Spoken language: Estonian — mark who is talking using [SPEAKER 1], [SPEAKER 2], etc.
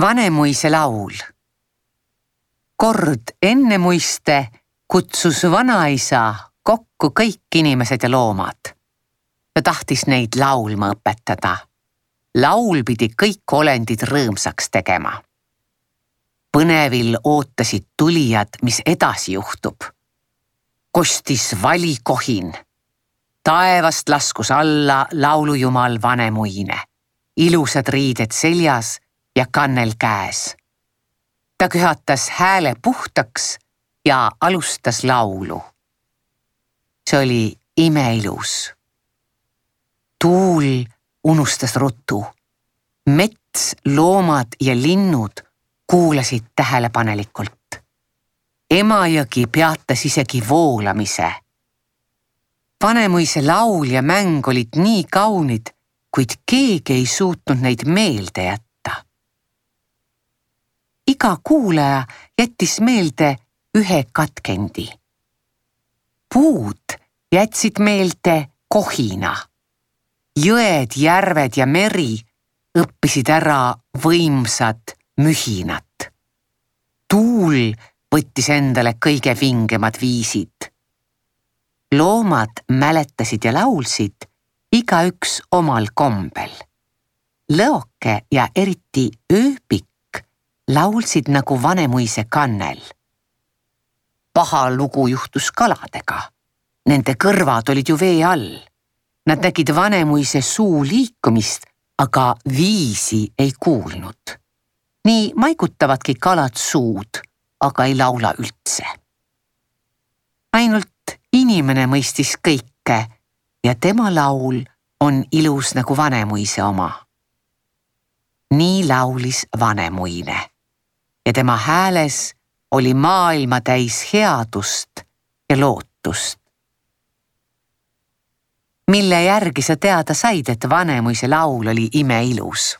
[SPEAKER 1] Vanemuise laul. Kord enne muiste kutsus vanaisa kokku kõik inimesed ja loomad. Ta tahtis neid laulma õpetada. Laul pidi kõik olendid rõõmsaks tegema. Põnevil ootasid tulijad, mis edasi juhtub. Kostis valikohin. Taevast laskus alla laulujumal Vanemuine. Ilusad riided seljas ja kannel käes. Ta köhatas hääle puhtaks ja alustas laulu. See oli imeilus. Tuul unustas ruttu. Mets, loomad ja linnud kuulasid tähelepanelikult. Emajõgi peatas isegi voolamise. Vanemuise laul ja mäng olid nii kaunid, kuid keegi ei suutnud neid meelde jätta. Iga kuulaja jättis meelde ühe katkendi. Puud jätsid meelde kohina. Jõed, järved ja meri õppisid ära võimsad mühinat. Tuul võttis endale kõige vingemad viisid. Loomad mäletasid ja laulsid igaüks omal kombel. Lõoke ja eriti ööpik laulsid nagu Vanemuise kannel. Paha lugu juhtus kaladega. Nende kõrvad olid ju vee all. Nad nägid Vanemuise suu liikumist, aga viisi ei kuulnud. Nii maigutavadki kalad suud, aga ei laula üldse. Ainult inimene mõistis kõike ja tema laul on ilus nagu Vanemuise oma. Nii laulis Vanemuine ja tema hääles oli maailma täis headust ja lootust. Mille järgi sa teada said, et Vanemuise laul oli imeilus?